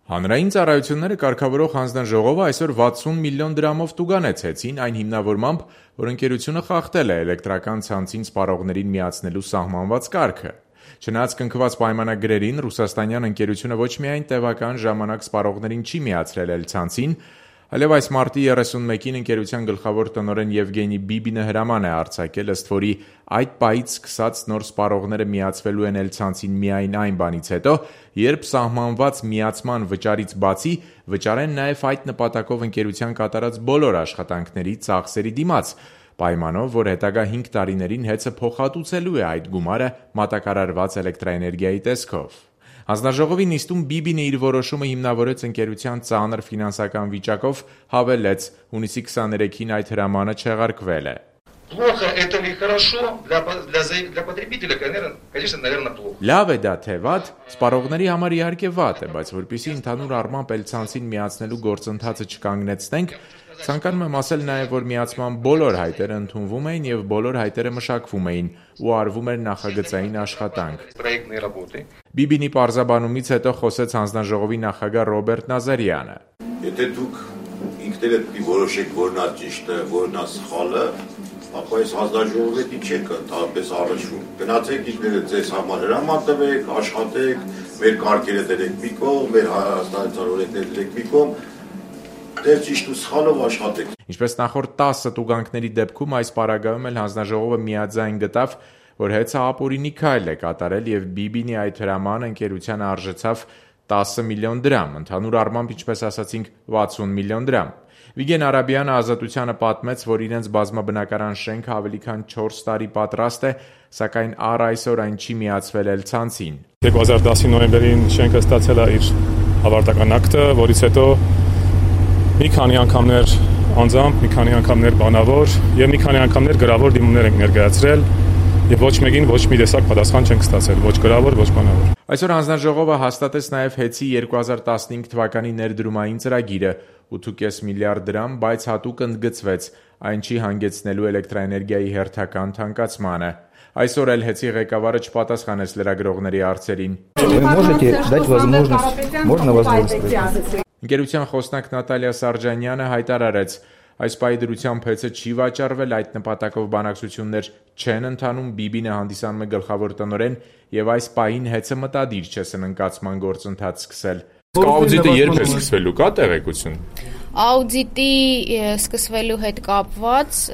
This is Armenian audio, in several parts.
Հանրային ծառայությունները կարգավորող հանձնաժողովը այսօր 60 միլիոն դրամով տուգանեցեցին այն հիմնավորմամբ, որ ընկերությունը խախտել է էլեկտրական ցանցին սպառողներին միացնելու սահմանված կարգը։ Չնայած կնքված պայմանագրերին, ռուսաստանյան ընկերությունը ոչ միայն տևական ժամանակ սպառողներին չի միացրել էլ ցանցին, այլև այս մարտի 31-ին ընկերության գլխավոր տնօրեն Եվգենի Բիբինը հրաման է արձակել, ըստ որի այդ պահից սկսած նոր սպառողները միացվելու են էլ ցանցին միայն այն բանից հետո, երբ սահմանված միացման վճարից բացի վճարեն նաև այդ նպատակով ընկերության կատարած բոլոր աշխատանքների ծախսերի դիմաց, պայմանով, որ հետագա 5 տարիներին ՀԵՑ-ը փոխհատուցելու է այդ գումարը մատակարարված էլեկտրաէներգիայի տեսքով։ Հանձնաժողովի նիստում Բիբինը իր որոշումը հիմնավորեց ընկերության ծանր ֆինանսական վիճակով, հավելեց, հունիսի 23-ին այդ հրամանը չեղարկվել է։ Плохо это или хорошо для потребителя, конечно, наверное, плохо. Լավ է դա թե վատ, սպառողների համար իհարկե վատ է, բայց որպեսզի ընդհանուր առմամբ էլ ցանցին միացնելու գործընթացը չկանգնեցնենք, ցանկանում եմ ասել նաև, որ միացման բոլոր հայտերը ընդունվում էին եւ բոլոր հայտերը մշակվում էին ու արվում էր նախագծային աշխատանք։ Բիբինի պարզաբանումից հետո խոսեց հանձնաժողովի նախագահ Ռոբերտ Նազարյանը։ Եթե դուք ինքներդ որոշեք, որն է ճիշտը, որն է սխալը, ապա այս հանձնաժողովի չեք ընդհանրապես առնչվում։ Գնացեք ինքներդ ձեզ համար հրաման տվեք, աշխատեք, մեր կարգերը դրեք մի կողմ, մեր հայաստանյան օրենքները դրեք մի կողմ, դեր ճիշտ ու սխալով աշխատեք։ Ինչպես նախորդ 10 տուգանքների դեպքում այս պարագայում էլ հանձնաժողովը միաձայն գտավ, որ ՀԵՑ-ը ապօրինի քայլ է կատարել եւ Բիբինի այդ հրամանը ընկերությանը արժեցավ 10 միլիոն դրամ, ընդհանուր առմամբ, ինչպես ասացինք, 60 միլիոն դրամ։ Վիգեն Արաբյանը Ազատությանը պատմեց, որ իրենց բազմաբնակարան շենքը ավելի քան 4 տարի պատրաստ է, սակայն առ այսօր այն չի միացվել էլ ցանցին։ 2010 նոյեմբերին շենքը ստացել է իր ավարտական ակտը, որից հետո մի քանի անգամներ անձամբ, մի քանի անգամներ բանավոր եւ մի քանի անգամներ գրավոր դիմումներ ենք ներկայացրել եւ ոչ մեկին ոչ մի տեսակ պատասխան չենք ստացել, ոչ գրավոր, ոչ բանավոր։ Այսօր հանձնաժողովը հաստատեց նաև ՀԵՑ-ի 2015 թվականի ներդրումային ծրագիրը 8.5 միլիարդ դրամ, բայց հատուկ ընդգծվեց, այն չի հանգեցնելու էլեկտրաէներգիայի հերթական թանկացմանը։ Այսօր էլ ՀԵՑ-ի ղեկավարը չպատասխանեց լրագրողների հարցերին։ Ընկերության խոսնակ Նատալիա Սարջանյանը հայտարարեց, այս պահի դրությամբ ՀԵՑ-ը չի վաճառվել, այդ նպատակով բանակցություններ չեն ընթանում, Բիբինը հանդիսանում է գլխավոր տնօրեն եւ այս պահին ՀԵՑ-ը մտադիր չէ սնանկացման գործընթաց սկսել։ Աուդիտը երբ է սկսվելու, կա տեղեկություն։ Աուդիտի սկսվելու հետ կապված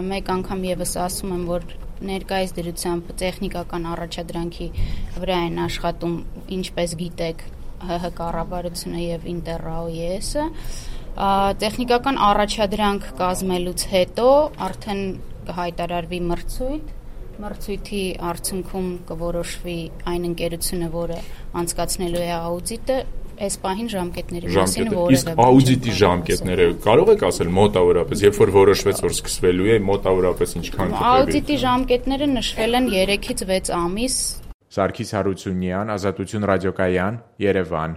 մեկ անգամ եւս ասում եմ, որ ներկայիս դրությամբ տեխնիկական առաջադրանքի վրա են աշխատում, ինչպես գիտեք, ՀՀ կառավարությունը եւ Ինտերրաոյեսը։ Տեխնիկական առաջադրանք կազմելուց հետո արդեն կհայտարարվի մրցույթի արդյունքում կորոշվի այն ընկերությունը, որը անցկացնելու է աուդիտը, այս պահին ժամկետների մասին որևէ։ Իսկ աուդիտի ժամկետները կարող եք ասել մոտավորապես, երբ որ որոշվեց, որ սկսվելու է, մոտավորապես ինչքան կտրվի։ Աուդիտի ժամկետները նշվել են 3-ից 6 ամիս։ Սարգիս Հարությունյան, Ազատություն ռադիոկայան, Երևան։